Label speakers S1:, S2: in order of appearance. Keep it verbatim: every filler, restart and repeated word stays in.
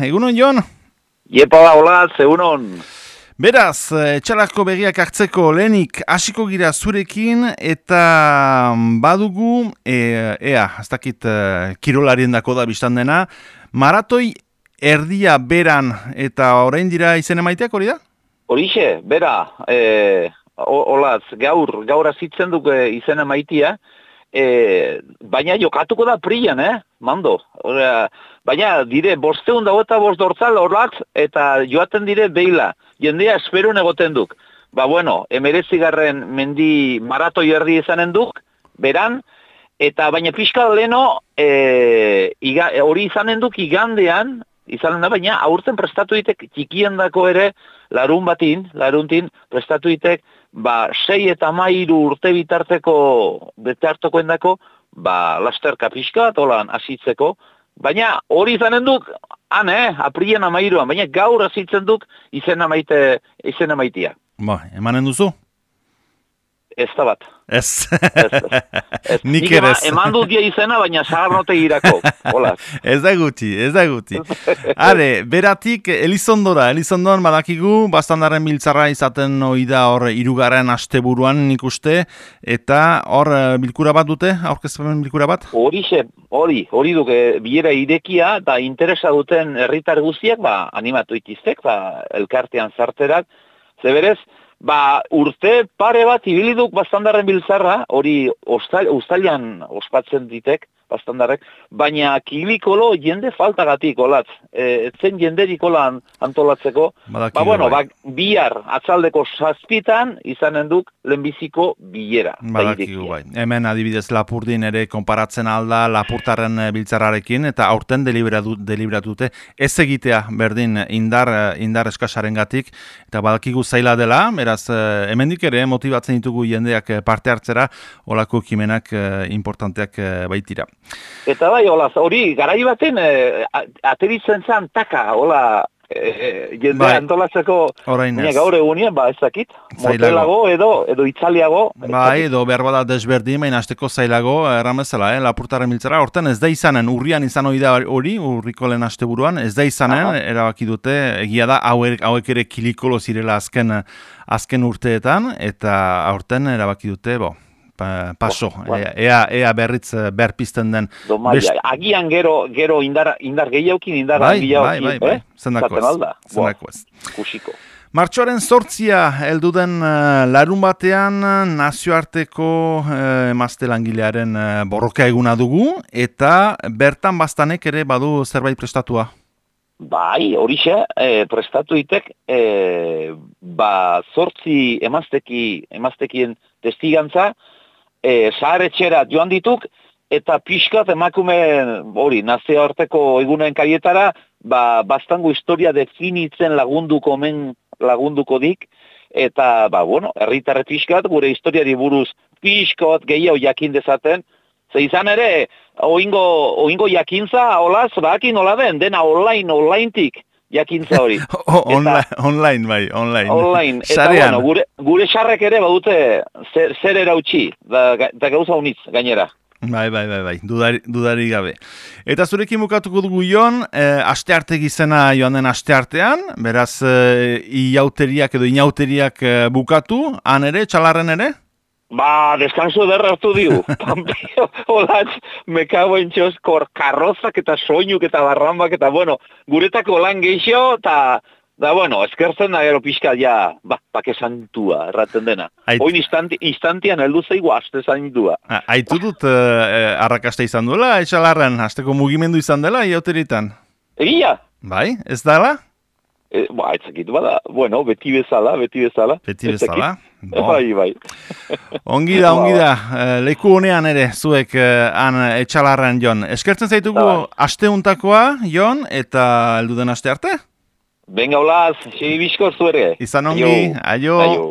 S1: egunon Jon?
S2: Iepa da, hola, zeunon.
S1: Beraz, etxalako begiak hartzeko lehenik hasiko gira zurekin eta badugu, e, ea, ez dakit kirolarien dako da biztan dena, maratoi erdia beran eta orain dira izen emaiteak hori da?
S2: Horixe, bera, e, olaz, gaur, gaur azitzen duk izen emaitia, e, baina jokatuko da prian, eh, mando. Ora, baina dire, bosteun dago eta bost dortzal horatz eta joaten dire beila. Jendea esperun egoten duk. Ba, bueno, emeretzigarren mendi maratoi erdi izanen duk, beran, eta baina pixka leno, e, iga, hori izanen duk igandean, izanen da, baina aurten prestatu ditek txikien dako ere, larun batin, laruntin, prestatu ditek, ba, sei eta mairu urte bitarteko, bitartokoen dako, ba, lasterka pixka, tolan asitzeko, baina hori izanen duk, han, eh, aprien amairuan, baina gaur azitzen duk izen amaite, izen amaitia.
S1: Ba, emanen duzu?
S2: Ez da bat.
S1: Ez.
S2: Ez.
S1: Nik ere ez.
S2: Eman dut dia izena, baina zaharnote irako. Hola.
S1: Ez da guti, ez da guti. Are, beratik Elizondora, Elizondoan badakigu, bastandarren biltzarra izaten oida hor irugarren asteburuan nik uste, eta hor bilkura bat dute, aurkezpen bilkura bat?
S2: Horixe, hori, hori duke bilera irekia, eta interesa duten herritar guztiak, ba, animatu itiztek, ba, elkartean zarterak, zeberez, ba, urte pare bat ibiliduk bastandarren biltzarra, hori uztailan ospatzen ditek, bastandarrek, baina kilikolo jende faltagatik olatz. E, etzen jenderik olan antolatzeko.
S1: Badakigu,
S2: ba, bueno,
S1: bai.
S2: ba, bihar atzaldeko zazpitan izanen duk lehenbiziko bilera.
S1: Badakigu, bai. Hemen adibidez Lapurdin ere konparatzen alda Lapurtarren biltzarrarekin, eta aurten deliberatu, deliberatu dute ez egitea berdin indar, indar eskasarengatik, eta badakigu zaila dela, beraz, hemendik ere motibatzen ditugu jendeak parte hartzera, olako kimenak importanteak baitira.
S2: Eta bai, hola, hori, garai baten, e, ateritzen zen taka, hola, e, jendea
S1: bai.
S2: Antolatzeko,
S1: baina
S2: gaur egunien, ba, ez dakit, motelago edo, edo itzaliago.
S1: Bai, edo behar bada desberdin, baina hasteko zailago, erramezela, eh, Lapurtarren biltzara, horten ez da izanen, urrian izan hori da hori, urriko lehen asteburuan, ez da izanen, aha, erabaki dute, egia da, hauek, hauek ere kilikolo zirela azken, azken urteetan, eta aurten erabaki dute, bo, paso, oh, bueno. ea, ea berritz berpizten den.
S2: Best... Agian gero, gero indar, indar gehiaukin, indar
S1: bai,
S2: gehiaukin,
S1: bai, bai, bai.
S2: eh?
S1: Zendako ez, zendako ez.
S2: Kusiko.
S1: Martxoaren zortzia heldu den uh, larun batean nazioarteko uh, emazte langilearen uh, borroka eguna dugu, eta bertan bastanek ere badu zerbait prestatua.
S2: Bai, horixe, e, prestatu ditek, e, ba, zortzi emazteki, emaztekien testigantza, E, zaharetxera joan dituk, eta pixkat emakume hori, nazioarteko egunen kaietara, ba, bastango historia definitzen lagunduko men lagunduko dik, eta, ba, bueno, herritarre pixkat, gure historiari buruz pixkat gehiago jakin dezaten, ze izan ere, oingo, oingo jakintza, olaz, bakin hola den, dena online, onlinetik, jakintza hori.
S1: Oh, online, eta, online, bai, online.
S2: Online, eta bueno, gure, gure sarrek ere badute zer, zer erautsi, da, da gauza unitz, gainera.
S1: Bai, bai, bai, bai, dudari, dudari gabe. Eta zurekin bukatuko dugu Jon, eh, astearte gizena joan den asteartean, beraz, eh, iauteriak edo inauteriak eh, bukatu, han ere, txalarren ere?
S2: Ba, deskanso ederra hartu diu. Pampio, holatz, mekago entxoz, karrozak eta soinuk eta barrambak eta, bueno, guretako lan geixo, eta, da, bueno, eskertzen da gero pixka, ja, ba, pake santua, erraten dena. Ait... Oin instanti, instantian heldu zeigu aste santua.
S1: Aitu dut, eh, arrakasta izan duela, etxalarren, hasteko mugimendu izan dela, iauteritan?
S2: Egia?
S1: Bai, ez dala?
S2: E, ba, etzakit, bada, bueno, beti bezala, beti bezala.
S1: Beti bezala?
S2: Bo. Bai, bai.
S1: Ongi da, ongi da. Leku honean ere, zuek han etxalarren, Jon. Eskertzen zaitugu asteuntakoa, Jon, eta heldu den aste arte?
S2: Benga, olaz, segi bizko zuere.
S1: Izan ongi, aio. aio.